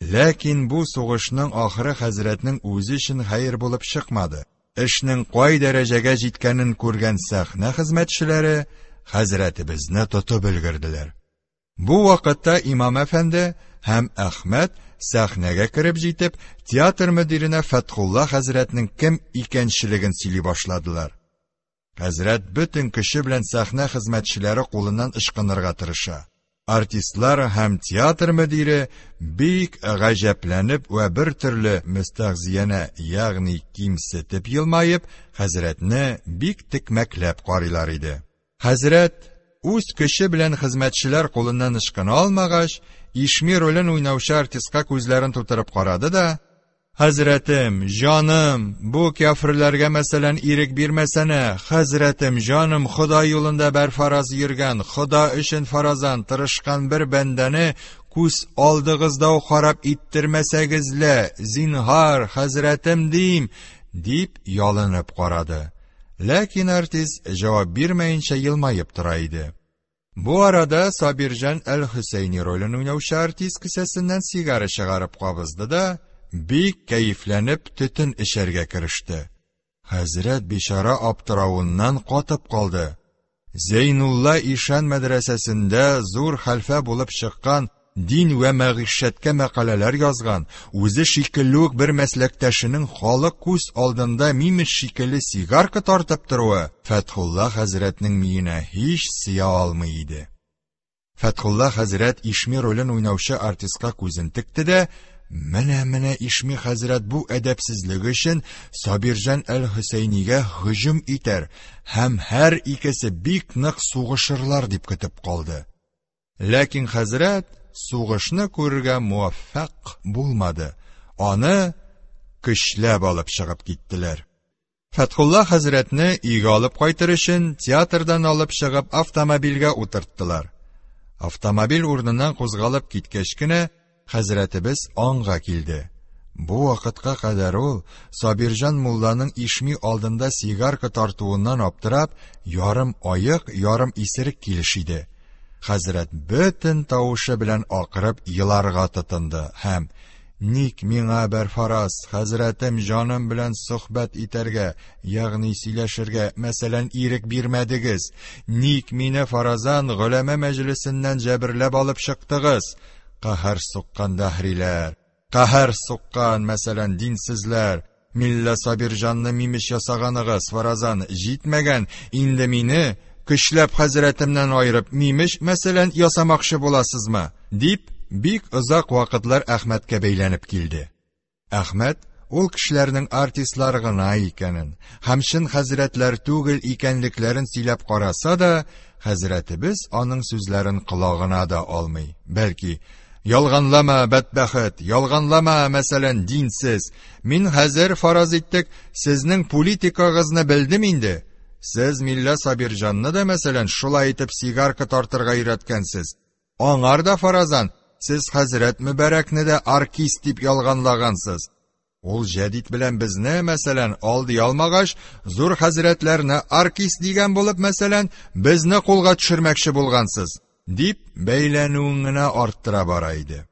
Ләкин бу сугышның ахыры хәзрәтнең үзе өчен хәер булып чыкмады. Эшнең кай дәрәҗәгә җиткәнен күргән сәхнә хезмәтчеләре хәзрәтебезне тотып өлгерделәр. Бу вакытта имам әфәнде һәм Әхмәт сәхнәгә кереп җитеп, театр мөдиренә Фәтхулла хәзрәтнең кем икәнчелеген сөйли башладылар. Хәзрәт бөтен көче белән сәхнә хезмәтчеләре кулыннан ычкынырга тырыша. Артистлар һәм театр мөдире бик гаҗәпләнеп вә бер төрле мөстәгъзиянә, ягъни кимсетеп елмаеп, хәзрәтне бик текмәкләп карыйлар иде. Хәзрәт үз көче белән хезмәтчеләр кулыннан ычкына алмагач, Ишми ролен уйнаучы артистка күзләрен тутырып карады да, Хәзрәтем, җаным, бу кяферләргә, мәсәлән, ирек бирмәсәнә, хәзрәтем, җаным, Хода юлында бәрфараз йөргән, Хода өчен фаразан тырышкан бер бәндәне күз алдыгызда ук харап иттермәсәгез лә, зинһар, хәзрәтем дим, дип ялынып карады. Ләкин артист җавап бирмәенчә елмаеп тора иде. Бу арада Сабирҗан әл-Хөсәйни ролен уйнаучы артист кесәсеннән сигара чыгарып кабызды да, бик кәефләнеп төтен эчәргә кереште. Хәзрәт бичара аптыравыннан катып калды. Зәйнулла ишан мәдрәсәсендә зур хәлфә булып чыккан дин вә мәгыйшәткә мәкаләләр язган, үзе шикелле үк бер мәсләктәшенең халык күз алдында мимеш шикелле сигарка тартып торуы Фәтхулла хәзрәтнең миенә һич сыя алмый иде. Фәтхулла хәзрәт Ишми ролен уйнаучы артистка күзен текте дә, менә-менә Ишми хәзрәт бу әдәпсезлеге өчен Сабирҗан әл-Хөсәйнигә һөҗүм итәр һәм һәр икесе бик нык сугышырлар дип көтеп калды. Ләкин хәзрәт сугышны күрергә муаффәкъ булмады. Аны көчләп алып чыгып киттеләр. Фәтхулла хәзрәтне өйгә алып кайтыр өчен театрдан алып чыгып автомобильгә утырттылар. Автомобиль урыныннан кузгалып киткәч кенә хәзрәтебез аңга килде. Бу вакытка кадәр ул Сабирҗан мулланың Ишми алдында сигарка тартуыннан аптырап, ярым аек, ярым исерек килеш иде. Хәзрәт бөтен тавышы белән акырып еларга тотынды һәм Ник миңа бәрфараз, хәзрәтем җаным белән сохбәт итәргә, ягъни сөйләшергә, мәсәлән, ирек бирмәдегез? Ник мине фаразан голәмә мәҗлесеннән җәберләп алып чыктыгыз? Каһәр суккан дәһриләр! Каһәр суккан, мәсәлән, динсезләр! Милла Сабирҗанны мимеш ясаганыгыз, фаразан, җитмәгән, инде мине, көчләп хәзрәтемнән аерып, мимеш, мәсәлән, ясамакчы буласызмы? дип, бик озак вакытлар Әхмәткә бәйләнеп килде. Әхмәт ул кешеләрнең артистлар гына икәнен һәм чын хәзрәтләр түгел икәнлекләрен сөйләп караса да, хәзрәтебез аның сүзләрен колагына да алмый, бәлки, Ялганлама, бәдбәхет, ялганлама, мәсәлән, динсез. Мин хәзер, фараз иттек, сезнең политикагызны белдем инде. Сез Милла Сабирҗанны да, мәсәлән, шулай итеп сигарка тартырга өйрәткәнсез. Аңар да фаразан, сез хәзрәт Мөбарәкне дә аркист дип ялганлагансыз. Ул җәдит белән безне, мәсәлән, алдый алмагач, зур хәзрәтләрне аркист дигән булып, мәсәлән, безне кулга төшермәкче булгансыз, дип бәйләнүен генә арттыра бара иде.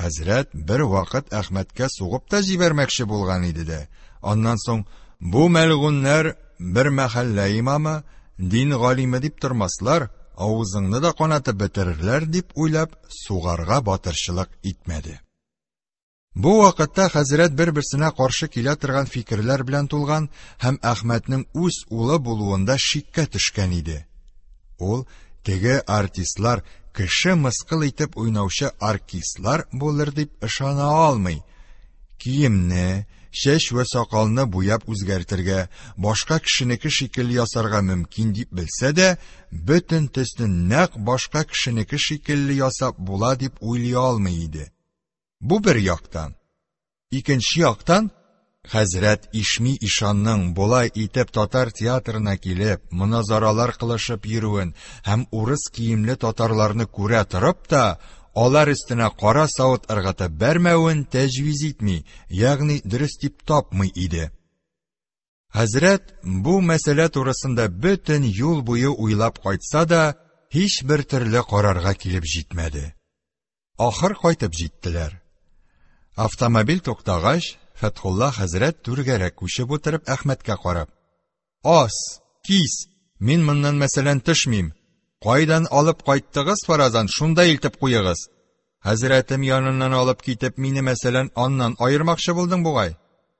Хәзрәт бер вакыт Әхмәткә сугып та җибәрмәкче булган иде дә, аннан соң бу мәлгуннәр бер мәхәллә имамы, дин галиме дип тормаслар, авызыңны да канатып бетерерләр дип уйлап, сугарга батырчылык итмәде. Бу вакытта хәзрәт бер-берсенә каршы килә торган фикерләр белән тулган һәм Әхмәтнең үз улы булуында шиккә төшкән иде. Ул теге артистлар кеше мыскыл итеп уйнаучы артистлар булыр дип ышана алмый. Киемне, чәч вә сакалны буяп үзгәртергә, башка кешенеке шикелле ясарга мөмкин дип белсә дә, бөтен төсне нәкъ башка кешенеке шикелле ясап була дип уйлый алмый иде. Бу бер яктан. Икенче яктан, хәзрәт Ишми ишанның болай итеп татар театрына килеп, моназаралар кылышып йөрүен һәм урыс киемле татарларны күрә торып та, алар өстенә кара савыт ыргытып бәрмәвен тәҗвиз итми, ягъни дөрес дип тапмый иде. Хәзрәт бу мәсьәлә турысында бөтен юл буе уйлап кайтса да, һичбер төрле карарга килеп җитмәде. Ахыр кайтып җиттеләр. Автомобиль туктагач, Фәтхулла хәзрәт түргәрәк күчеп утырып Әхмәткә карап: "Ас, кис, мин моннан мәсәлән төшмим. Кайдан алып кайттыгыз фаразан, шунда илтеп куегыз. Хәзрәтем яныннан алып китеп, мине мәсәлән аннан аермакчы булдың бугай.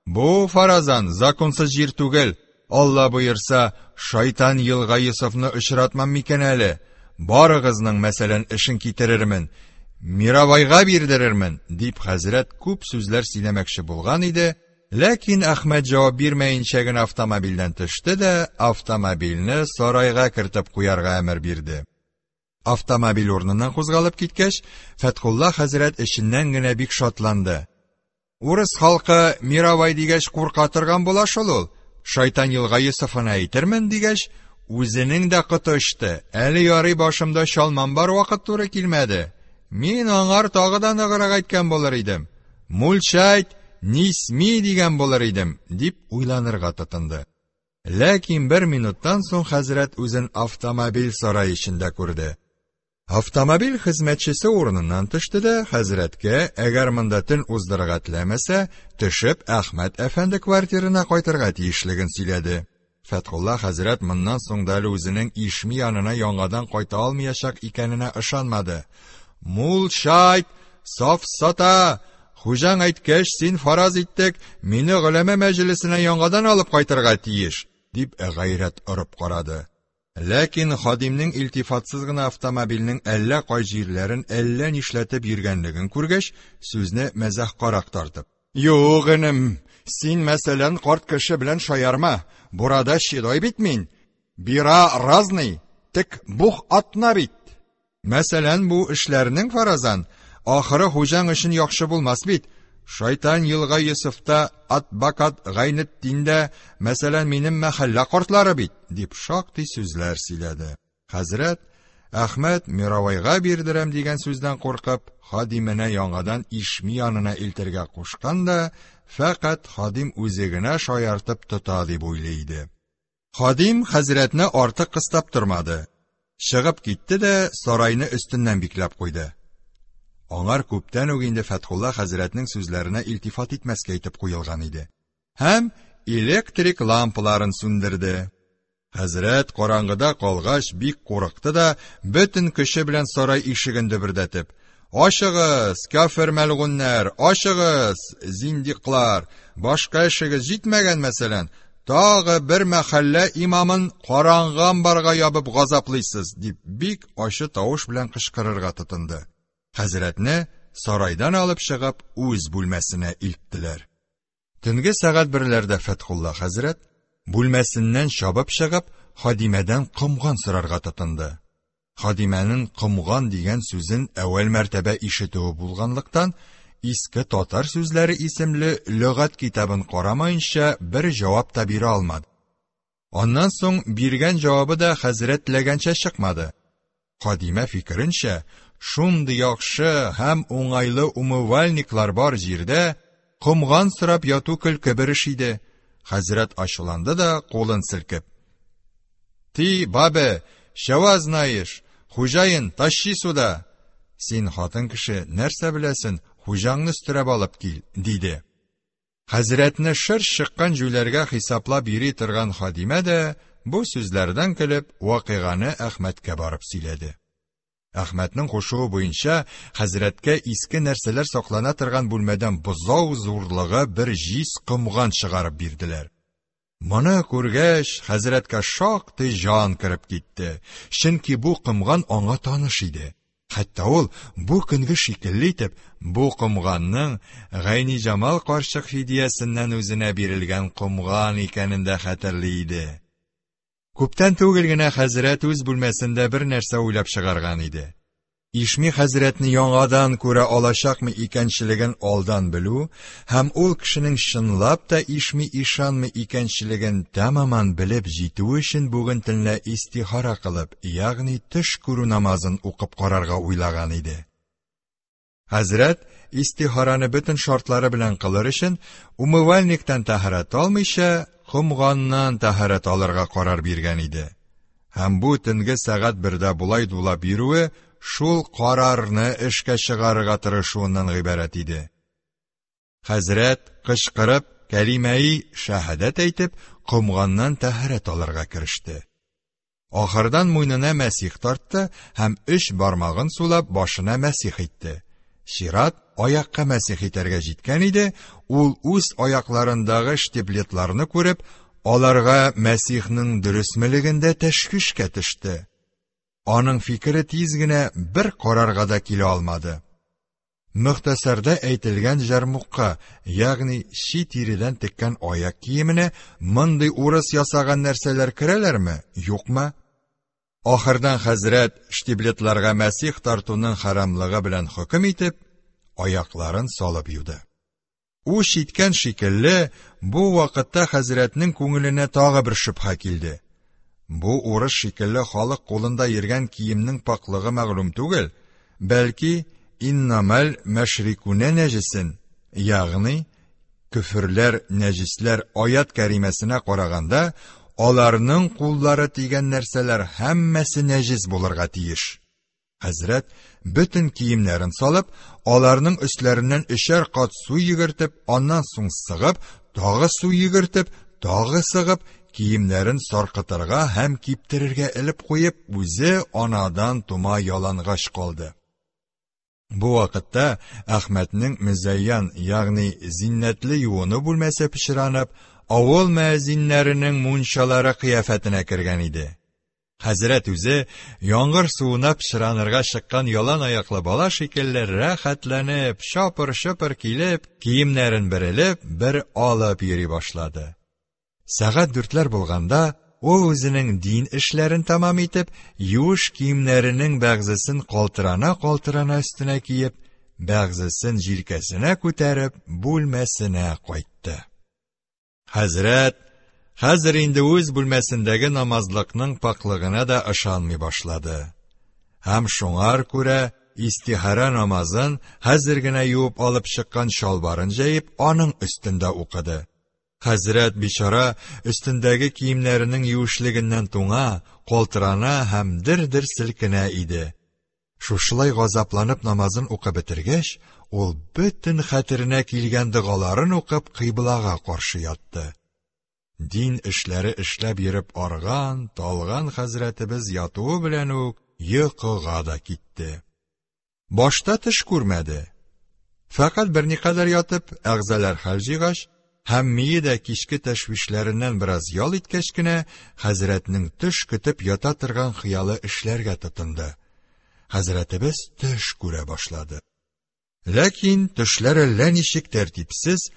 Бу фаразан законсыз җир түгел. Алла боерса, шайтан елга Йосыфны очратмам микән әле? Барыгызның мәсәлән эшен китерермен. Миравайга бирдерермен, дип хәзрәт күп сүзләр сөйләмәкче булган иде, ләкин Әхмәт җавап бирмәенчә генә автомобильдән төште дә, автомобильне сарайга кертеп куярга әмер бирде. Автомобиль урыныннан кузгалып киткәч, Фәтхулла хәзрәт эченнән генә бик шатланды. Урыс халкы Миравай дигәч курка торган була шул ул. Шайтан елга Йосыфына әйтермен дигәч, үзенең дә коты очты. Әле ярый башымда чалмам бар вакыт туры килмәде. Мин аңар тагы да ныграк әйткән булыр идем. Мульчайт, нисми дигән булыр идем, дип уйланырга тотынды. Ләкин бер минуттан соң хәзрәт үзен автомобиль сарае эчендә күрде. Автомобиль хезмәтчесе урыныннан төште дә хәзрәткә, әгәр монда төн уздырырга теләмәсә, төшеп Әхмәт әфәнде квартирына кайтырга тиешлеген сөйләде. Фәтхулла хәзрәт моннан соң да әле үзенең Ишми янына яңадан кайта алмаячак икәненә ышанмады. Мулчайт, сафсата, хуҗаң әйткәч, син фараз иттек, мине голәмә мәҗлесенә яңадан алып кайтырга тиеш, дип гайрәт орып карады. Ләкин хадимнең илтифатсыз гына автомобильнең әллә кай җирләрен әллә нишләтеп йөргәнлеген күргәч, сүзне мәзәхкарак тартып: "Юк, энем, син мәсәлән карт кеше белән шаярма. Бурада щедой бит мин. Бира разный, тек бух атна бит. Мәсәлән, бу эшләрнең фаразан ахыры хуҗаң өчен яхшы булмас бит. Шайтан елга Йосыфта, Атбакат Гайнетдиндә, мәсәлән, минем мәхәллә картлары бит, дип шактый сүзләр сөйләде. Хәзрәт Әхмәт Миравайга бирдерәм дигән сүздән куркып, хадименә яңадан Ишми янына илтергә кушкан да, фәкать хадим үзе генә шаяртып тота дип уйлый иде. Хадим хәзрәтне артык кыстап тормады. Чыгып китте дә сарайны өстеннән бикләп куйды. Аңар күптән үк инде Фәтхулла хәзрәтнең сүзләренә илтифат итмәскә әйтеп куелган иде. Һәм электрик лампаларын сүндерде. Хәзрәт караңгыда калгач бик курыкты да, бөтен көче белән сарай ишеген дөбердәтеп: "Ачыгыз, кафир мәлгуннәр, ачыгыз, зиндиклар, башка эшегез җитмәгән мәсәлән, тагы бер мәхәллә имамын караңгы амбарга ябып газаплыйсыз", дип бик ачы тавыш белән кычкырырга тотынды. Хәзрәтне сарайдан алып чыгып үз бүлмәсенә илттеләр. Төнге сәгать берләрдә Фәтхулла хәзрәт бүлмәсеннән чабып чыгып, хадимәдән комган сорарга тотынды. Хадимәнең комган дигән сүзен әүвәл мәртәбә ишетүе булганлыктан, Иске татар сүзләре исемле лөгать китабын карамаенча бер җавап та бирә алмады. Аннан соң биргән җавабы да хәзрәт теләгәнчә чыкмады. Хадимә фикеренчә, шундый яхшы һәм уңайлы умывальниклар бар җирдә комган сорап яту көлке бер эш иде. Хәзрәт ачуланды да кулын селкеп: "Ти, бабе, чава знаешь, хуҗаин, тащи сюда. Син хатын кеше, нәрсә беләсен, хуҗаңны өстерәп алып кил", диде. Хәзрәтне шыр чыккан җүләргә хисаплап йөри торган хадимә дә бу сүзләрдән көлеп, вакыйганы Әхмәткә барып сөйләде. Әхмәтнең кушуы буенча хәзрәткә иске нәрсәләр саклана торган бүлмәдән бозау зурлыгы бер җиз комган чыгарып бирделәр. Моны күргәч, хәзрәткә шактый җан кереп китте, чөнки бу комган аңа таныш иде. Хәтта ул бу көнге шикелле итеп бу комганның Гайниҗамал карчык фидиясеннән үзенә бирелгән комган икәнен дә хәтерли иде. Күптән түгел генә хәзрәт үз бүлмәсендә бер нәрсә уйлап чыгарган иде. Ишми хәзрәтне яңадан күрә алачакмы икәнчелеген алдан белү һәм ул кешенең чынлап та Ишми ишанмы икәнчелеген тәмаман белеп җитү өчен бүген төнлә истихара кылып, ягъни төш күрү намазын укып карарга уйлаган иде. Хәзрәт истихараны бөтен шартлары белән кылыр өчен умывальниктан тәһарәт алмыйча, комганнан тәһарәт алырга карар биргән иде. Һәм бу төнге сәгать бердә болай дулап йөрүе шул карарны эшкә чыгарырга тырышуыннан гыйбарәт иде. Хәзрәт кычкырып, кәлимәи шәһадәт әйтеп, комганнан тәһарәт алырга кереште. Ахырдан муенына мәсих тартты һәм өч бармагын сулап башына мәсих итте. Чират аякка мәсих итәргә җиткән иде, ул үз аякларындагы штиблетларны күреп, аларга мәсихнең дөресмелегендә тәшвишкә төште. Аның фикере тиз генә бер карарга да килә алмады. Мөхтәсәрдә әйтелгән җәрмукка, ягъни чи тиредән теккән аяк киеменә мондый урыс ясаган нәрсәләр керәләрме, юкмы? Ахырдан хәзрәт штиблетларга мәсих тартуның хәрамлыгы белән хөкем итеп, аякларын салып юды. Үч иткән шикелле, бу вакытта хәзрәтнең күңеленә тагы бер шөбһә килде. Бу урыс шикелле халык кулында йөргән киемнең пакьлыгы мәгълүм түгел, бәлки иннамәл мәшрикүнә нәҗесен, ягъни көферләр, нәҗесләр аят кәримәсенә караганда, аларның куллары тигән нәрсәләр һәммәсе нәҗес булырга тиеш. Хәзрәт бөтен киемнәрен салып, аларның өсләреннән өчәр кат су йөгертеп, аннан соң сыгып, тагы су йөгертеп, тагы сыгып, киемнәрен саркытырга һәм киптерергә элеп куеп, үзе анадан тума ялангач калды. Бу вакытта Әхмәтнең мөзәйян, ягъни зиннәтле юыну бүлмәсе пычранып, авыл мөәзиннәренең мунчалары кыяфәтенә кергән иде. Хәзрәт үзе, яңгыр суына пычранырга чыккан ялан аяклы бала шикелле рәхәтләнеп, чапыр-чопыр килеп, киемнәрен бер элеп, бер алып йөри башлады. Сәгать дүртләр булганда, ул үзенең дин эшләрен тәмам итеп, юеш киемнәренең бәгъзесен калтырана-калтырана өстенә киеп, бәгъзесен җилкәсенә күтәреп, бүлмәсенә кайтты. Хәзрәт хәзер инде үз бүлмәсендәге намазлыкның пакьлыгына да ышанмый башлады. Һәм шуңар күрә истихара намазын хәзер генә юып алып чыккан чалбарын җәеп, аның өстендә укыды. Хәзрәт бичара өстендәге киемнәренең юешлегеннән туңа, калтырана һәм дер-дер селкенә иде. Шушылай газапланып намазын укып бетергәч, ул бөтен хәтеренә килгән догаларын укып кыйблага каршы ятты. Дин эшләре эшләп йөреп арган, талган хәзрәтебез ятуы белән үк йокыга да китте. Башта төш күрмәде. Фәкать берникадәр ятып, әгъзалар хәл җыйгач һәм мие дә кичке тәшвишләреннән бераз ял иткәч кенә, хәзрәтнең төш көтеп ята торган хыялы эшләргә тотынды. Хәзрәтебез төш күрә башлады. Ләкин төшләр әллә ничек тәртипсез,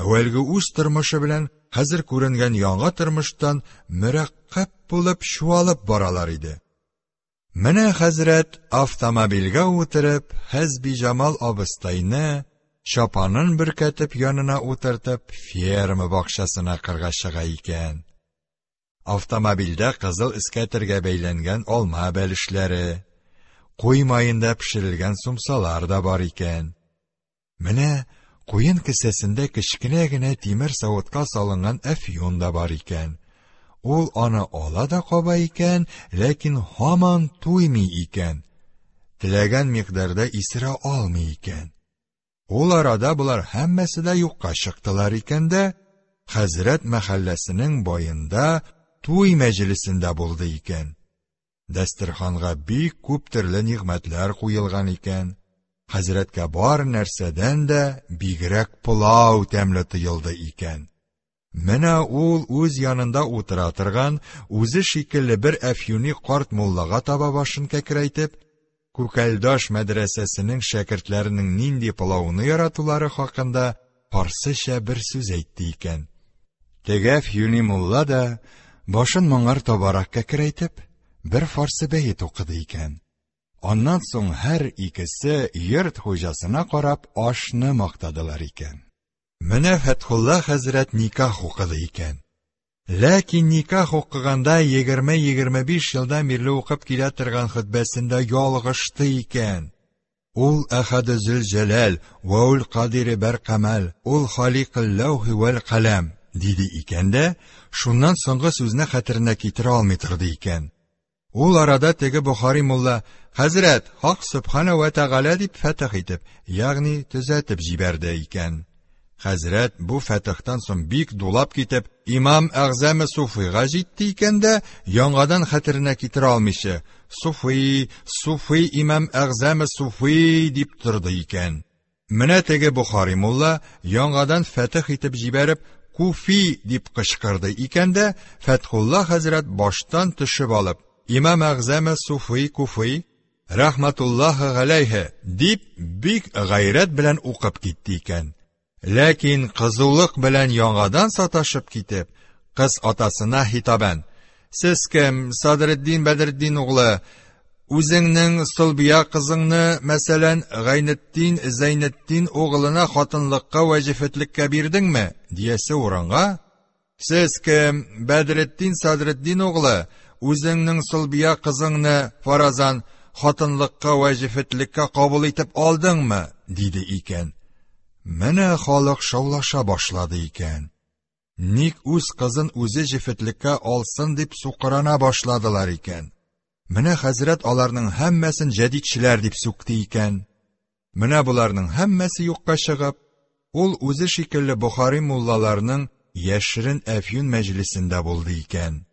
әүвәлге үз тормышы белән хәзер күренгән яңа тормыштан мөрәккәб булып чуалып баралар иде. Менә хәзрәт автомобильгә утырып, Хәсбиҗамал абыстайны чапанын бөркәтеп янына утыртып, ферма бакчасына кырга чыга икән. Автомобильдә кызыл эскәтергә бәйләнгән алма бәлешләре, куй маенда пешерелгән сумсалар да бар икән. Менә куен кесәсендә кечкенә генә тимер савытка салынган әфьюн да бар икән. Ул аны ала да каба икән, ләкин һаман туймый икән. Теләгән микъдарда исерә алмый икән. Ул арада болар һәммәсе дә юкка чыктылар икән дә, хәзрәт мәхәлләсенең баенда туй мәҗлесендә булды икән. Дәстерханга бик күп төрле нигъмәтләр куелган икән. Хәзрәткә бар нәрсәдән дә бигрәк пылау тәмле тоелды икән. Менә ул үз янында утыра торган, үзе шикелле бер әфьюни карт муллага таба башын кәкрәйтеп, Күкәлдаш мәдрәсәсенең шәкертләренең нинди пылауны яратулары хакында фарсыча бер сүз әйтте икән. Теге әфьюни мулла да, башын моңар табарак кәкрәйтеп, бер фарсы бәет укыды икән. Аннан соң һәр икесе йорт хуҗасына карап ашны мактадылар икән. Менә Фәтхулла хәзрәт никах укыды икән. Ләкин никах укыганда 20-25 елдан бирле укып килә торган хөтбәсендә ялгышты икән. Ул Әхәде Зөлҗәләл вә ул Кадире Бәркамәл, ул Халикыл ләүхи вәл каләм диде икән дә, шуннан соңгы сүзне хәтеренә китерә алмый торды икән. Ул арада теге Бохари мулла, Хәзрәт, Хак Сөбханә вә Тәгалә дип фәтех итеп, ягъни төзәтеп җибәрде икән. Хәзрәт бу фәтехтән соң бик дулап китеп, имам әгъзәме Суфыйга җитте икән дә, яңадан хәтеренә китерә алмыйча, Суфый, Суфый имам әгъзәме Суфый дип торды икән. Менә теге Бохари мулла яңадан фәтех итеп җибәреп, Куфи дип кычкырды икән дә, Фәтхулла хәзрәт баштан төшеп алып, Имам әгъзәме Суфый Куфый, рәхмәтуллаһы галәйһе, дип бик гайрәт белән укып китте икән. Ләкин кызулык белән яңадан саташып китеп, кыз атасына хитабән: "Сез кем, Садретдин Бәдретдин углы? Үзеңнең Солбия кызыңны, мәсәлән, Гайнетдин Зәйнетдин углына хатынлыкка вә җефетлеккә бирдеңме?" диясе урынга, "Сез кем, Бәдретдин Садретдин углы, үзеңнең Солбия кызыңны, фаразан, хатынлыкка вә җефетлеккә кабул итеп алдыңмы?" диде икән. Менә халык шаулаша башлады икән. Ник үз кызын үзе җефетлеккә алсын дип сукырана башладылар икән. Менә хәзрәт аларның һәммәсен җәдитчеләр дип сүкте икән. Менә боларның һәммәсе юкка чыгып, ул үзе шикелле Бохари муллаларның яшерен әфьюн мәҗлесендә булды икән.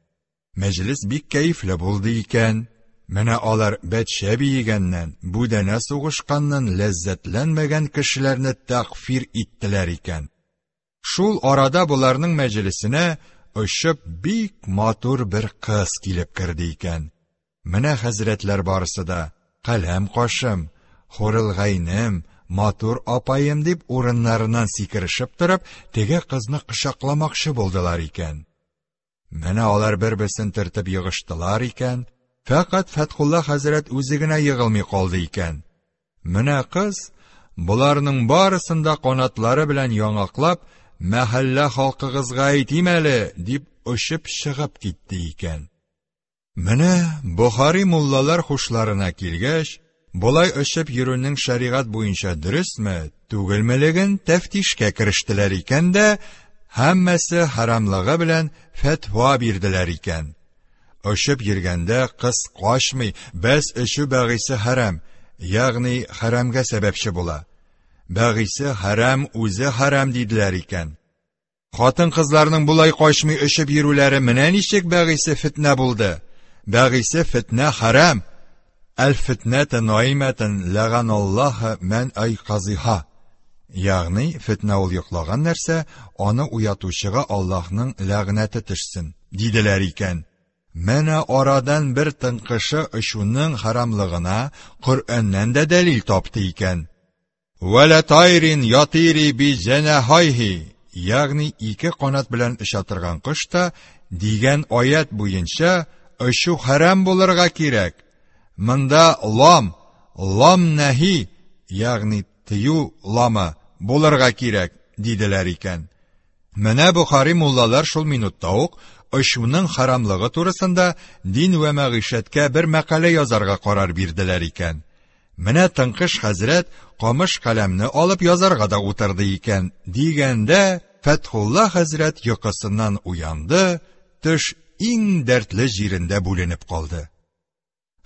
Мәҗлес бик кәефле булды икән. Менә алар бәтчә биегәннән, бүдәнә сугышканнан ләззәтләнмәгән кешеләрне тәкъфир иттеләр икән. Шул арада боларның мәҗлесенә очып бик матур бер кыз килеп керде икән. Менә хәзрәтләр барысы да, каләм кашым, хурылгайным, матур апаем дип урыннарыннан сикерешеп торып, теге кызны кочакламакчы булдылар икән. Менә алар бер-берсен төртеп егыштылар икән, фәкать Фәтхулла хәзрәт үзе генә егылмый калды икән. Менә кыз, боларның барысын да канатлары белән яңаклап, мәхәллә халкыгызга әйтим әле, дип очып чыгып китте икән. Менә Бохари муллалар хушларына килгәч, болай очып йөрүнең шәригать буенча дөресме, түгелмелеген тәфтишкә керештеләр икән дә, һәммәсе харамлыгы белән фәтва бирделәр икән. Очып йөргәндә кыз качмый, бәс очу бәгыйсе хәрам, ягъни хәрамгә сәбәпче була. Бәгыйсе хәрам үзе хәрам диделәр икән. Хатын-кызларның болай качмый очып йөрүләре менә ничек бәгыйсе фитнә булды. Бәгыйсе фитнә хәрам. Әл-фитнәтә наимәтен ләганаллаһы мән айказиһа. Ягъни фитнә ул йоклаган нәрсә, аны уятучыга Аллаһның ләгънәте төшсен, диделәр икән. Менә арадан бер тыңкышы очуның харамлыгына Коръәннән дә дәлил тапты икән. Вәлә тайрин ятири би җәнәһайһи, ягъни ике канат белән оча торган кош та дигән аят буенча очу хәрам булырга кирәк. Монда лам, лам нәһи, ягъни тыю ламы булырга кирәк, диделәр икән. Менә Бохари муллалар шул минутта ук очуның харамлыгы турысында дин вә мәгыйшәткә бер мәкалә язарга карар бирделәр икән. Менә тыңкыш хәзрәт камыш каләмне алып язарга да утырды икән, дигәндә Фәтхулла хәзрәт йокысыннан уянды, төш иң дәртле җирендә бүленеп калды.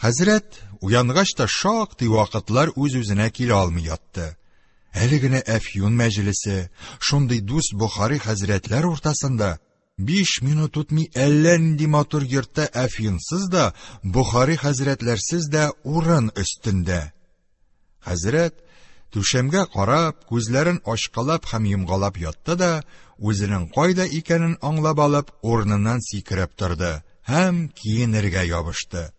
Хәзрәт уянгач та шактый вакытлар үз-үзенә килә алмый ятты. Әле генә әфьюн мәҗлесе, шундый дус Бохари хәзрәтләр уртасында 5 минут үтми әллә нинди матур йортта әфьюнсыз да, Бохари хәзрәтләрсез дә урын өстендә. Хәзрәт түшәмгә карап, күзләрен ачкалап һәм йомгалап ятты да, үзенең кайда икәнен аңлап алып, урыныннан сикереп торды һәм киенергә ябышты.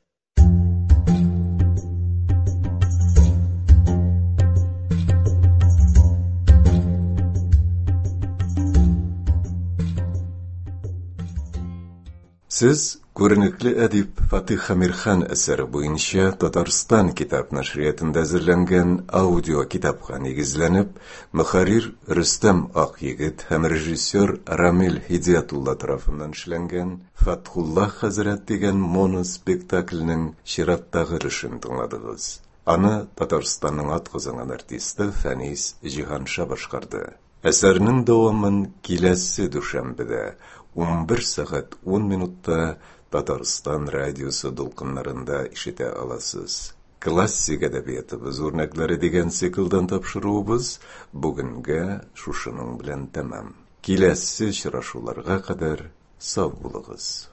Сез күренекле әдип Фатих Әмирхан әсәре буенча Татарстан китап нәшриятында әзерләнгән аудио китапка нигезләнеп, мөхәррир Рөстәм Акъегет һәм режиссер Рамил Һидиятулла тарафыннан эшләнгән Фатхулла хәзрәт дигән моноспектакльнең чираттагы өлешен тыңладыгыз. Аны Татарстанның атказанган артисты Фәнис Җиһанша башкарды. Әсәрнең дәвамын киләсе дүшәмбедә 11 сәгать 10 минутта Татарстан радиосы дулкыннарында ишетә аласыз. Классик әдәбиятыбыз үрнәкләре дигән циклдан тапшыруыбыз бүгенгә шушының белән тәмам. Киләсе очрашуларга кадәр сау булыгыз.